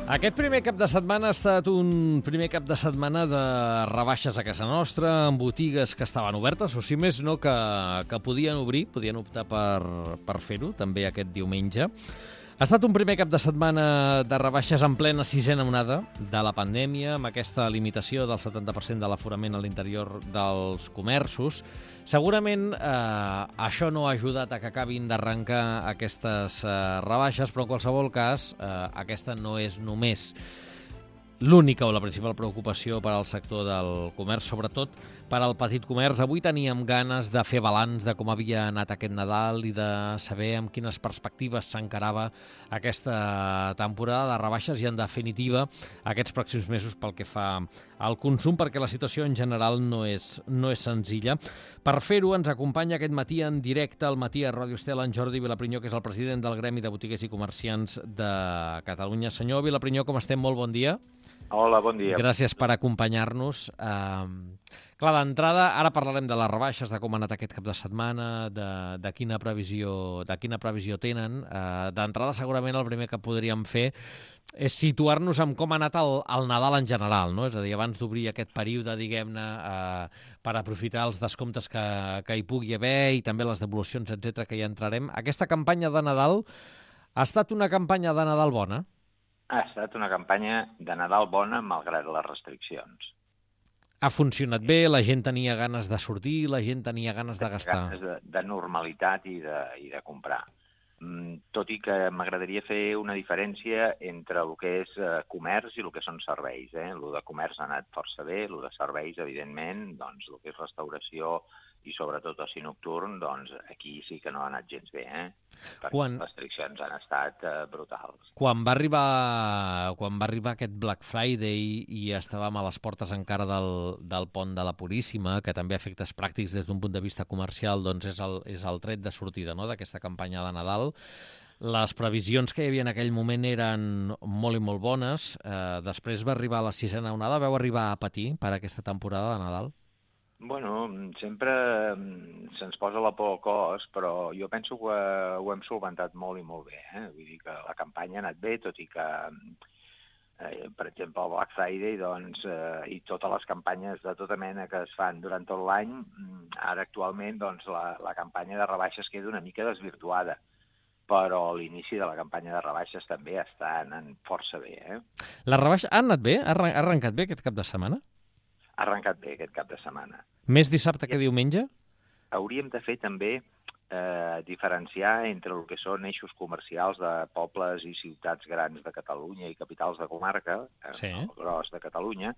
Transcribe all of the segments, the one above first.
Aquest primer cap de setmana ha estat un primer cap de setmana de rebaixes a casa nostra, en botigues que estaven obertes, o si més no, que podien obrir, podien optar per fer-ho, també aquest diumenge. Ha estat un primer cap de setmana de rebaixes en plena sisena onada de la pandèmia, amb aquesta limitació del 70% de l'aforament a l'interior dels comerços. Segurament això no ha ajudat a que acabin d'arrencar aquestes rebaixes, però en qualsevol cas aquesta no és només l'única o la principal preocupació per al sector del comerç, sobretot per al petit comerç. Avui teníem ganes de fer balanç de com havia anat aquest Nadal i de saber amb quines perspectives s'encarava aquesta temporada de rebaixes i, en definitiva, aquests pròxims mesos pel que fa al consum, perquè la situació en general no és senzilla. Per fer-ho ens acompanya aquest matí en directe al Matí a Ràdio Estel en Jordi Vilaprinyó, que és el president del Gremi de Botiguers i Comerciants de Catalunya. Senyor Vilaprinyó, com estem? Molt bon dia. Hola, bon dia. Gràcies per acompanyar-nos. Clar, d'entrada, ara parlarem de les rebaixes, de com ha anat aquest cap de setmana, de quina previsió tenen. D'entrada, segurament el primer que podríem fer és situar-nos en com ha anat el Nadal en general, no? És a dir, abans d'obrir aquest període, diguem-ne, per aprofitar els descomptes que hi pugui haver i també les devolucions, etc., que hi entrarem. Aquesta campanya de Nadal ha estat una campanya de Nadal bona? Ha estat una campanya de Nadal bona, malgrat les restriccions. Ha funcionat bé, la gent tenia ganes de sortir, la gent tenia ganes de gastar. Ganes de normalitat i de comprar. Tot i que m'agradaria fer una diferència entre el que és comerç i el que són serveis. El de comerç ha anat força bé, el de serveis, evidentment, doncs el que és restauració i sobretot oci nocturn, doncs aquí sí que no ha anat gens bé, perquè les restriccions han estat brutals. Quan va arribar aquest Black Friday i estàvem a les portes encara del pont de la Puríssima, que també a efectes pràctics des d'un punt de vista comercial doncs és el tret de sortida, no?, d'aquesta campanya de Nadal, les previsions que hi havia en aquell moment eren molt i molt bones. Després va arribar la sisena onada. Vau arribar a patir per aquesta temporada de Nadal? Bueno, sempre se'ns posa la por al cos, però jo penso que ho hem solventat molt i molt bé. Vull dir que la campanya ha anat bé, tot i que, per exemple, el Black Friday i totes les campanyes de tota mena que es fan durant tot l'any, ara actualment la campanya de rebaixes queda una mica desvirtuada, però l'inici de la campanya de rebaixes també està anant força bé. La rebaixa ha anat bé? Ha arrencat bé aquest cap de setmana? Ha arrencat bé aquest cap de setmana. Més dissabte que diumenge? Hauríem de fer també diferenciar entre el que són eixos comercials de pobles i ciutats grans de Catalunya i capitals de comarca, el gros de Catalunya,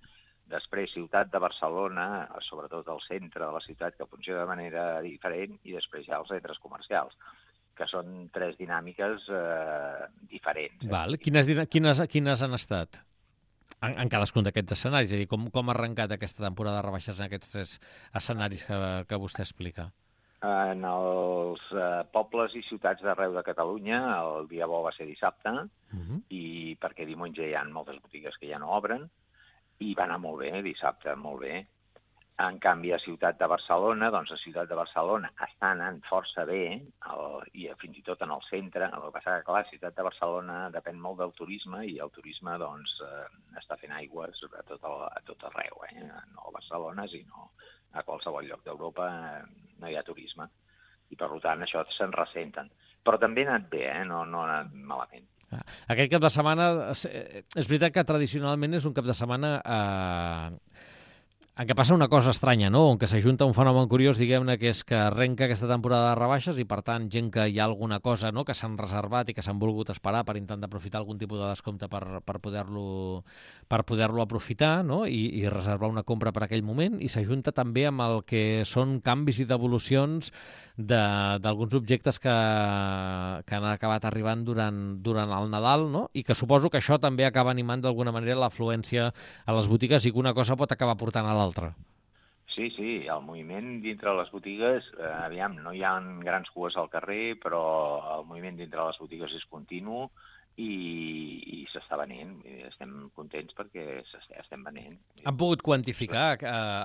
després ciutat de Barcelona, sobretot el centre de la ciutat, que funciona de manera diferent, i després ja els centres comercials, que són tres dinàmiques diferents. Val. Quines han estat? En cadascun d'aquests escenaris, és a dir, com ha arrencat aquesta temporada de rebaixes en aquests tres escenaris que vostè explica? En els pobles i ciutats d'arreu de Catalunya el dia bo va ser dissabte, i perquè diumenge hi ha moltes botigues que ja no obren, i va anar molt bé, dissabte, molt bé. En canvi, a Ciutat de Barcelona, doncs a Ciutat de Barcelona està anant força bé, i fins i tot en el centre. El que passa que, clar, Ciutat de Barcelona depèn molt del turisme, i el turisme doncs està fent aigües a tot arreu, no a Barcelona, sinó a qualsevol lloc d'Europa no hi ha turisme. I, per tant, això se'n ressenten. Però també ha anat bé, no ha anat malament. Aquest cap de setmana, és veritat que tradicionalment és un cap de setmana en què passa una cosa estranya, no? En què s'ajunta un fenomen curiós, diguem-ne, que és que arrenca aquesta temporada de rebaixes i, per tant, gent que hi ha alguna cosa, no?, que s'han reservat i que s'han volgut esperar per intentar aprofitar algun tipus de descompte per poder-lo aprofitar, no?, i reservar una compra per aquell moment, i s'ajunta també amb el que són canvis i devolucions d'alguns objectes que han acabat arribant durant el Nadal, no?, i que suposo que això també acaba animant d'alguna manera l'afluència a les botigues i que una cosa pot acabar portant a l'altra. Sí, el moviment dintre les botigues, no hi ha grans cues al carrer, però el moviment dintre les botigues és continu, i s'està venent. I estem contents perquè estem venent. Han pogut quantificar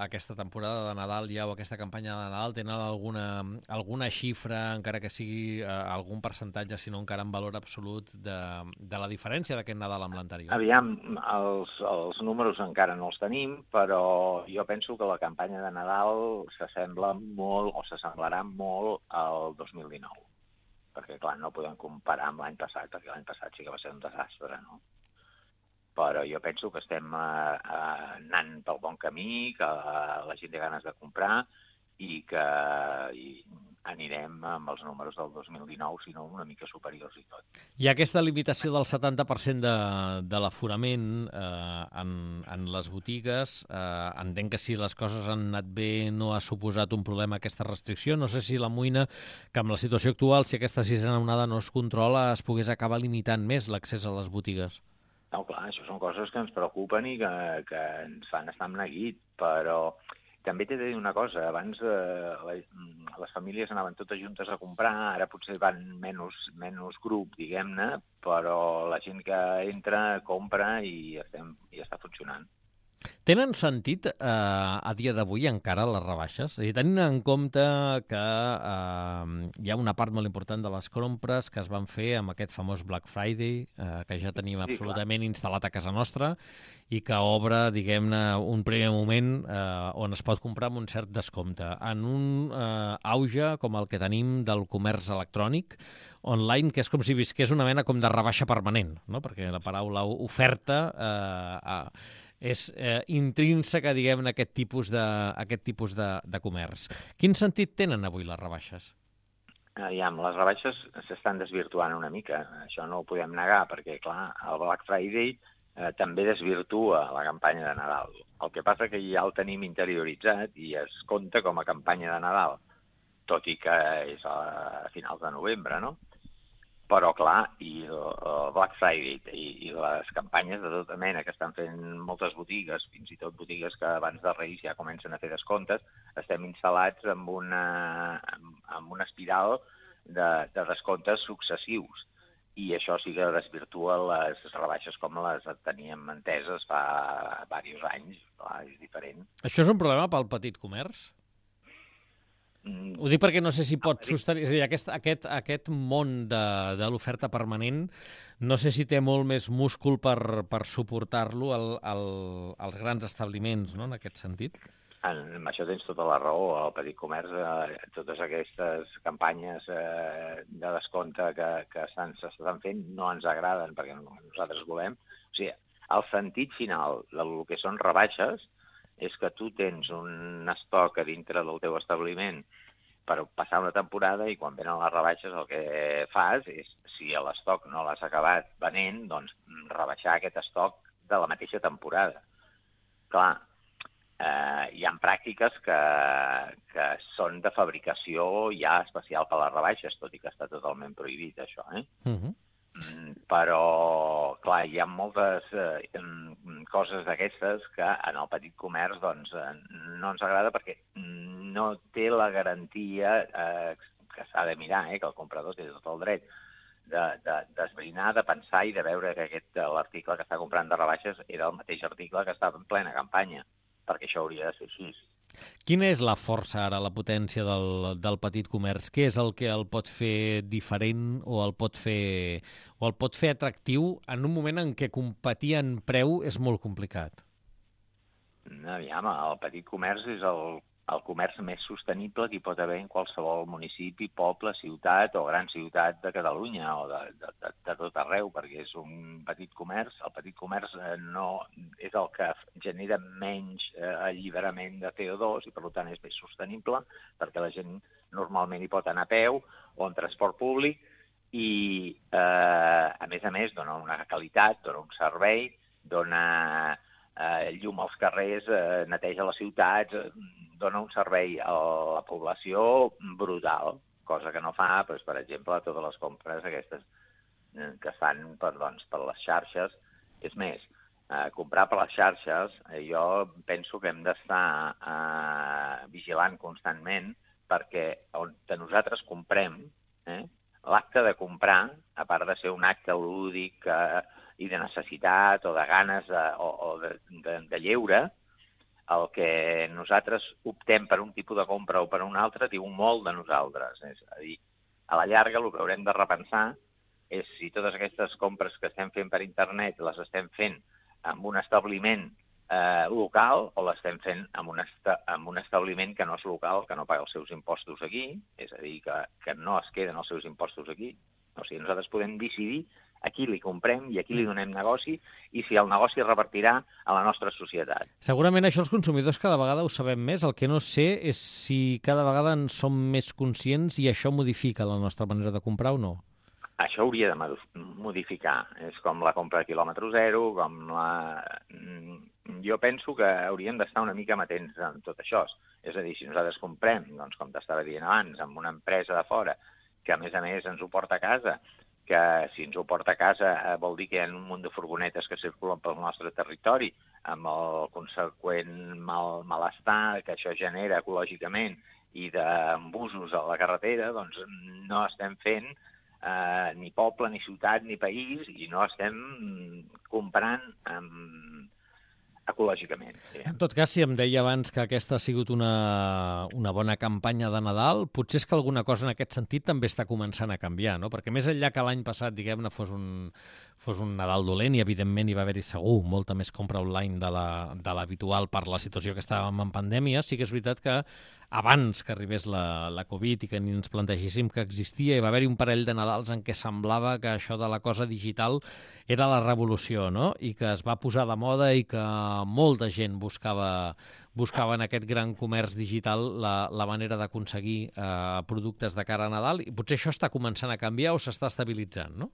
aquesta temporada de Nadal ja o aquesta campanya de Nadal? Tenen alguna xifra, encara que sigui algun percentatge, sinó encara en valor absolut, de la diferència d'aquest Nadal amb l'anterior? Aviam, els números encara no els tenim, però jo penso que la campanya de Nadal s'assembla molt o s'assemblarà molt al 2019. Perquè, clar, no podem comparar amb l'any passat, perquè l'any passat sí que va ser un desastre, no? Però jo penso que estem anant pel bon camí, que la gent té ganes de comprar i que anirem amb els números del 2019, si no una mica superiors i tot. Hi ha aquesta limitació del 70% de l'aforament en les botigues. Entenc que si les coses han anat bé no ha suposat un problema aquesta restricció. No sé si l'amoïna que amb la situació actual, si aquesta sisena onada no es controla, es pogués acabar limitant més l'accés a les botigues. No, clar, això són coses que ens preocupen i que ens fan estar amb neguit, però també t'he de dir una cosa, abans les famílies anaven totes juntes a comprar, ara potser van menys grup, diguem-ne, però la gent que entra, compra i està funcionant. Tenen sentit a dia d'avui encara les rebaixes? És a dir, tenint en compte que hi ha una part molt important de les compres que es van fer amb aquest famós Black Friday, que ja tenim absolutament instal·lat a casa nostra i que obre, diguem-ne, un primer moment on es pot comprar amb un cert descompte. En un auge com el que tenim del comerç electrònic, online, que és com si visqués una mena com de rebaixa permanent, no? Perquè la paraula oferta és intrínseca, diguem-ne, aquest tipus de comerç. Quin sentit tenen avui les rebaixes? Les rebaixes s'estan desvirtuant una mica, això no ho podem negar, perquè, clar, el Black Friday també desvirtua la campanya de Nadal. El que passa que ja el tenim interioritzat i es compta com a campanya de Nadal, tot i que és a finals de novembre, no? Però, clar, i el Black Friday i les campanyes de tota mena que estan fent moltes botigues, fins i tot botigues que abans de Reis ja comencen a fer descomptes, estem instal·lats amb una espiral de descomptes successius. I això sí que desvirtua les rebaixes com les teníem enteses fa diversos anys. Clar, és diferent. Això és un problema pel petit comerç? Ho dic perquè no sé si pot sostenir... És a dir, aquest món de l'oferta permanent no sé si té molt més múscul per suportar-lo als grans establiments, no?, en aquest sentit. En això tens tota la raó. El petit comerç, totes aquestes campanyes de descompte que s'estan fent no ens agraden perquè nosaltres volem. O sigui, el sentit final del que són rebaixes és que tu tens un estoc a dintre del teu establiment per passar una temporada i quan venen les rebaixes el que fas és, si l'estoc no l'has acabat venent, doncs rebaixar aquest estoc de la mateixa temporada. Clar, hi ha pràctiques que són de fabricació ja especial per a les rebaixes, tot i que està totalment prohibit, això, Però, clar, hi ha moltes coses d'aquestes que en el petit comerç doncs, no ens agrada perquè no té la garantia que s'ha de mirar, que el comprador té tot el dret d'esbrinar, de pensar i de veure que l'article que està comprant de rebaixes era el mateix article que estava en plena campanya, perquè això hauria de ser així. Quina és la força ara, la potència del petit comerç? Què és el que el pot fer diferent o el pot fer atractiu en un moment en què competir en preu és molt complicat? Aviam, el petit comerç és el comerç més sostenible que hi pot haver en qualsevol municipi, poble, ciutat o gran ciutat de Catalunya o de tot arreu, perquè és un petit comerç. El petit comerç no és el que genera menys alliberament de CO2 i per tant és més sostenible perquè la gent normalment hi pot anar a peu o en transport públic i a més dona una qualitat, dona un servei, dona llum als carrers, neteja les ciutats, dona un servei a la població brutal, cosa que no fa, doncs, per exemple, totes les compres aquestes que es fan per les xarxes. És més, comprar per les xarxes, jo penso que hem d'estar vigilant constantment perquè on nosaltres comprem, l'acte de comprar, a part de ser un acte lúdic i de necessitat o de ganes de lleure, el que nosaltres optem per un tipus de compra o per un altre diu molt de nosaltres. És a dir, a la llarga el que haurem de repensar és si totes aquestes compres que estem fent per internet les estem fent en un establiment local o l'estem fent en un establiment que no és local, que no paga els seus impostos aquí, és a dir, que no es queden els seus impostos aquí. O sigui, nosaltres podem decidir a qui li comprem i a qui li donem negoci i si el negoci revertirà a la nostra societat. Segurament això els consumidors cada vegada ho sabem més. El que no sé és si cada vegada en som més conscients i això modifica la nostra manera de comprar o no. Això hauria de modificar. És com la compra a quilòmetre zero, Jo penso que hauríem d'estar una mica amatents en tot això. És a dir, si nosaltres comprem, doncs, com t'estava dient abans, amb una empresa de fora, que a més ens ho porta a casa, que si ens ho porta a casa vol dir que hi ha un munt de furgonetes que circulen pel nostre territori, amb el conseqüent malestar que això genera ecològicament i d'embusos a la carretera, doncs no estem fent ni poble, ni ciutat, ni país, i no estem comprant ecològicament. En tot cas, si em deia abans que aquesta ha sigut una bona campanya de Nadal, potser és que alguna cosa en aquest sentit també està començant a canviar, no? Perquè més enllà que l'any passat, diguem-ne, fos un Nadal dolent i, evidentment, hi va haver-hi segur molta més compra online de l'habitual per la situació que estàvem en pandèmia, sí que és veritat que abans que arribés la Covid i que ni ens plantegéssim que existia, hi va haver-hi un parell de Nadals en què semblava que això de la cosa digital era la revolució, no? I que es va posar de moda i que molta gent buscava en aquest gran comerç digital la manera d'aconseguir productes de cara a Nadal, i potser això està començant a canviar o s'està estabilitzant, no?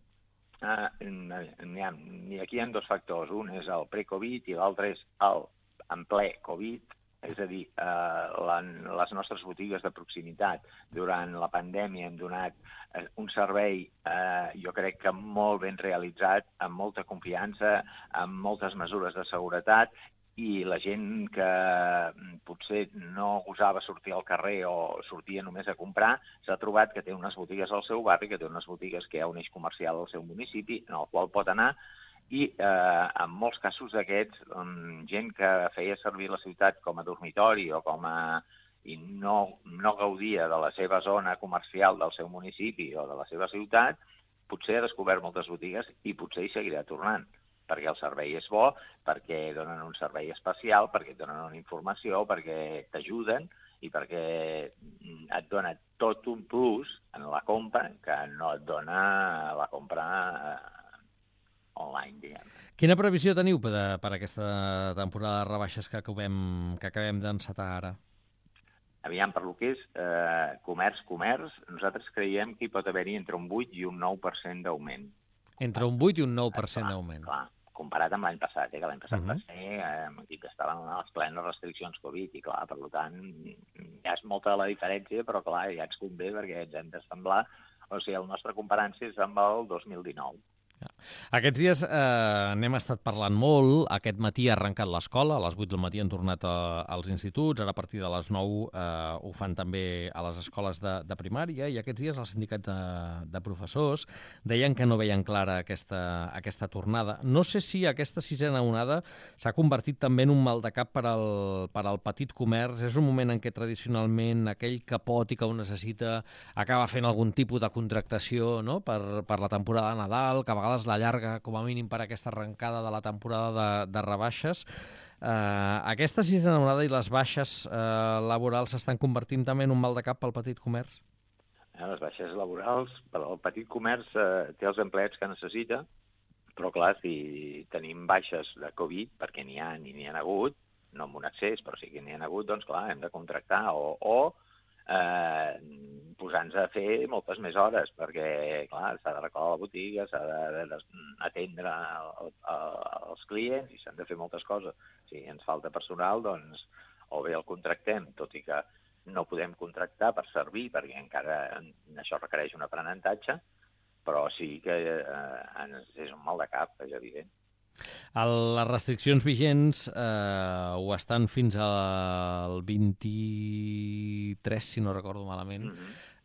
Aquí hi ha dos factors. Un és el pre-Covid i l'altre és el en ple Covid. És a dir, les nostres botigues de proximitat durant la pandèmia hem donat un servei, jo crec que molt ben realitzat, amb molta confiança, amb moltes mesures de seguretat, i la gent que potser no gosava sortir al carrer o sortia només a comprar s'ha trobat que té unes botigues al seu barri, que té unes botigues que hi ha un eix comercial al seu municipi en el qual pot anar, i en molts casos d'aquests, gent que feia servir la ciutat com a dormitori o i no gaudia de la seva zona comercial del seu municipi o de la seva ciutat, potser ha descobert moltes botigues i potser hi seguirà tornant, perquè el servei és bo, perquè donen un servei especial, perquè et donen una informació, perquè t'ajuden i perquè et dona tot un plus en la compra que no et dona la compra online, diguem. Quina previsió teniu per aquesta temporada de rebaixes que acabem d'encetar ara? Aviam, per lo que és comerç, nosaltres creiem que hi pot haver-hi entre un 8 i un 9% d'augment. Entre un 8 i un 9% d'augment. Clar, comparat amb l'any passat, que l'any passat va ser aquí que estaven a les plenes restriccions Covid, i clar, per tant, ja és molta la diferència, però clar, ja ens convé perquè ens hem d'assemblar, o sigui, el nostre comparant és amb el 2019. Aquests dies n'hem estat parlant molt. Aquest matí ha arrencat l'escola, a les 8 del matí han tornat als instituts, ara a partir de les 9 ho fan també a les escoles de primària, i aquests dies els sindicats de professors deien que no veien clara aquesta tornada. No sé si aquesta sisena onada s'ha convertit també en un mal de cap per al petit comerç. És un moment en què tradicionalment aquell que pot i que ho necessita acaba fent algun tipus de contractació, no? per la temporada de Nadal, que a vegades la llarga, com a mínim per aquesta arrencada de la temporada de rebaixes. Aquesta sisena onada i les baixes laborals s'estan convertint també en un mal de cap pel petit comerç? Les baixes laborals, el petit comerç té els empleats que necessita, però clar, si tenim baixes de Covid, perquè n'hi ha hagut, no amb un excés, però sí que n'hi ha hagut, doncs clar, hem de contractar o posar-nos a fer moltes més hores, perquè, clar, s'ha de recordar la botiga, s'ha d'atendre els clients i s'han de fer moltes coses. Si ens falta personal, doncs, o bé el contractem, tot i que no podem contractar per servir, perquè encara això requereix un aprenentatge, però sí que és un mal de cap, és evident. Les restriccions vigents ho estan fins al 23, si no recordo malament.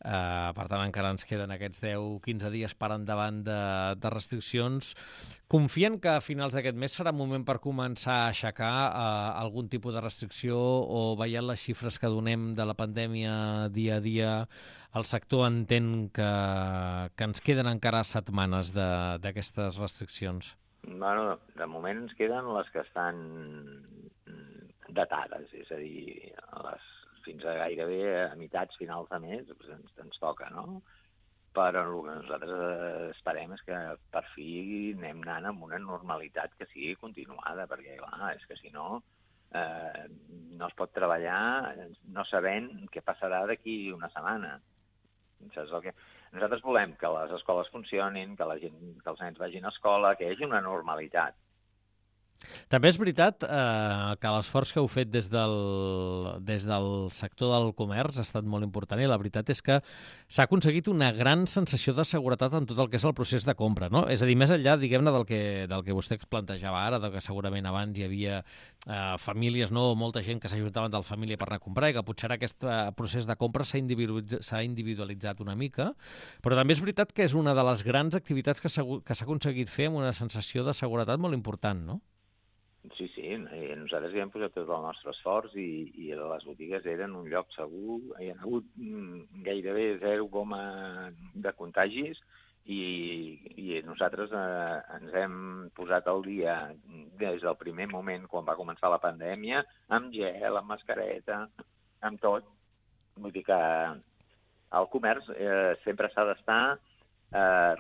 Per tant, encara ens queden aquests 10-15 dies per endavant de restriccions. Confien que a finals d'aquest mes serà moment per començar a aixecar algun tipus de restricció, o veient les xifres que donem de la pandèmia dia a dia, el sector entén que ens queden encara setmanes d'aquestes restriccions? Bueno, de moment ens queden les que estan datades, és a dir, fins a gairebé a meitats, finals de mes, ens toca, no? Però el que nosaltres esperem és que per fi anem anant amb una normalitat que sigui continuada, perquè, clar, és que si no, no es pot treballar no sabent què passarà d'aquí una setmana. Saps el que... Nosaltres volem que les escoles funcionin, que els nens vagin a escola, que hi hagi una normalitat. També és veritat que l'esforç que heu fet des del sector del comerç ha estat molt important, i la veritat és que s'ha aconseguit una gran sensació de seguretat en tot el que és el procés de compra, no? És a dir, més enllà, diguem-ne, del que vostè plantejava ara, que segurament abans hi havia famílies, no, molta gent que s'ajuntaven de la família per anar a comprar, i que potser aquest procés de compra s'ha individualitzat una mica, però també és veritat que és una de les grans activitats que s'ha aconseguit fer amb una sensació de seguretat molt important, no? Sí, nosaltres hi hem posat tot el nostre esforç i les botigues eren un lloc segur, hi ha hagut gairebé 0 de contagis i nosaltres ens hem posat al dia des del primer moment, quan va començar la pandèmia, amb gel, amb mascareta, amb tot. Vull dir que el comerç sempre s'ha d'estar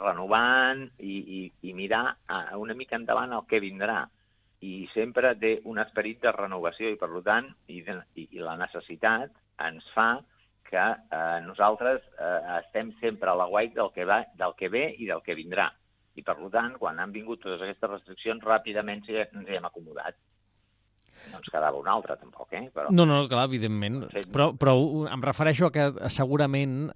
renovant i mirar una mica endavant el que vindrà. I sempre té un esperit de renovació i, per tant, i la necessitat ens fa que nosaltres estem sempre a l'aguait del que ve i del que vindrà. I, per tant, quan han vingut totes aquestes restriccions, ràpidament ens hi hem acomodat. No ens quedava una altra, tampoc, Però... No, clar, evidentment. Però em refereixo a que segurament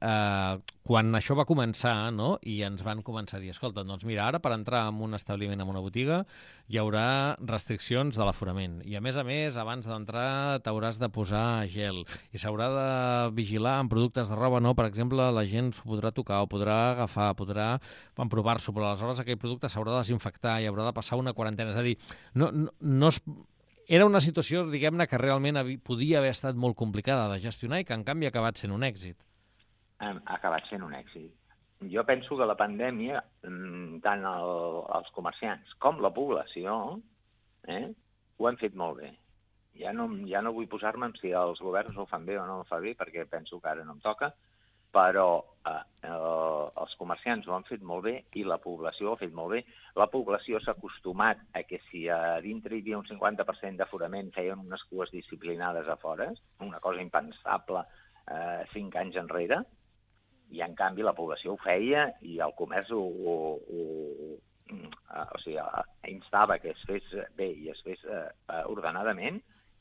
quan això va començar, no?, i ens van començar a dir, escolta, doncs mira, ara per entrar en un establiment, en una botiga, hi haurà restriccions de l'aforament. I a més, abans d'entrar t'hauràs de posar gel. I s'haurà de vigilar en productes de roba, no? Per exemple, la gent s'ho podrà tocar, o podrà agafar, podrà emprovar-s'ho, però aleshores aquell producte s'haurà de desinfectar i haurà de passar una quarantena. És a dir, no es... Era una situació, diguem-ne, que realment podia haver estat molt complicada de gestionar i que, en canvi, ha acabat sent un èxit. Ha acabat sent un èxit. Jo penso que la pandèmia, tant els comerciants com la població, ho han fet molt bé. Ja no vull posar-me en si els governs ho fan bé o no ho fan bé, perquè penso que ara no em toca, però els comerciants ho han fet molt bé i la població ho ha fet molt bé. La població s'ha acostumat a que si a dintre hi havia un 50% d'aforament feien unes cues disciplinades a fora, una cosa impensable 5 anys enrere, i en canvi la població ho feia i el comerç instava que es fes bé i es fes ordenadament,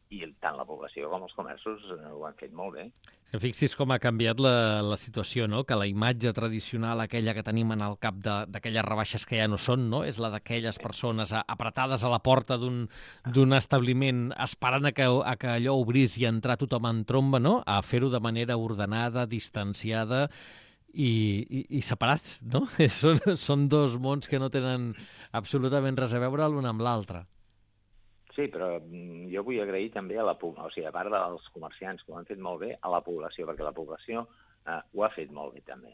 i tant la població com els comerços ho han fet molt bé. Que fixis com ha canviat la situació, no? Que la imatge tradicional, aquella que tenim en el cap d'aquelles rebaixes que ja no són, no? És la d'aquelles persones apretades a la porta d'un establiment esperant a que allò obrís i entrar tothom en tromba, no? A fer-ho de manera ordenada, distanciada i separats, no? Són dos mons que no tenen absolutament res a veure l'un amb l'altre. Sí, però jo vull agrair també a a part dels comerciants que ho han fet molt bé, a la població, perquè la població ho ha fet molt bé també.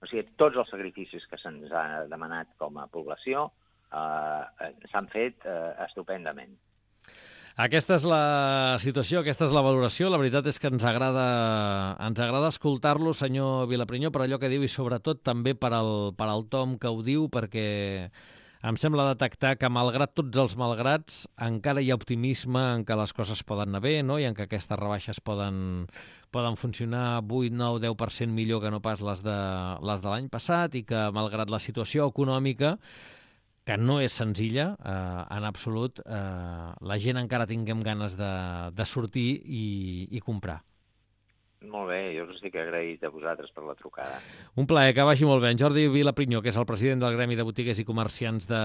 O sigui, tots els sacrificis que se'ns ha demanat com a població s'han fet estupendament. Aquesta és la situació, aquesta és la valoració. La veritat és que ens agrada escoltar-lo, senyor Vilaprinyó, per allò que diu i sobretot també per al tom que ho diu, perquè em sembla detectar que, malgrat tots els malgrats, encara hi ha optimisme en què les coses poden anar bé, no? I en què aquestes rebaixes poden funcionar 8, 9, 10% millor que no pas les de l'any passat, i que, malgrat la situació econòmica, que no és senzilla, en absolut, la gent encara tinguem ganes de sortir i comprar. Molt bé, jo us estic agraït a vosaltres per la trucada. Un plaer, que vagi molt bé. En Jordi Vilaprinyó, que és el president del Gremi de Botiguers i Comerciants de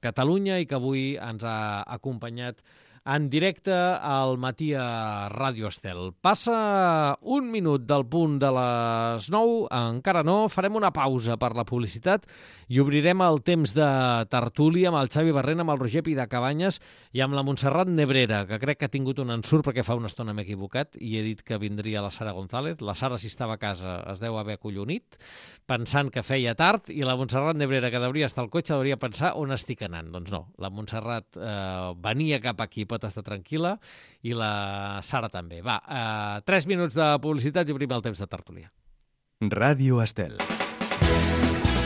Catalunya i que avui ens ha acompanyat en directe al matí a Ràdio Estel. Passa un minut del punt de les 9, encara no, farem una pausa per la publicitat i obrirem el temps de tertúlia amb el Xavi Barrena, amb el Roger Pidacabanyes i amb la Montserrat Nebrera, que crec que ha tingut un ensurt perquè fa una estona m'he equivocat i he dit que vindria la Sara González. La Sara, si estava a casa, es deu haver acollonit, pensant que feia tard, i la Montserrat Nebrera, que devia estar al cotxe, devia pensar on estic anant. Doncs no, la Montserrat venia cap aquí, pot estar tranquil·la, i la Sara també. Va, 3 minuts de publicitat i obrim el temps de tertúlia. Ràdio Estel.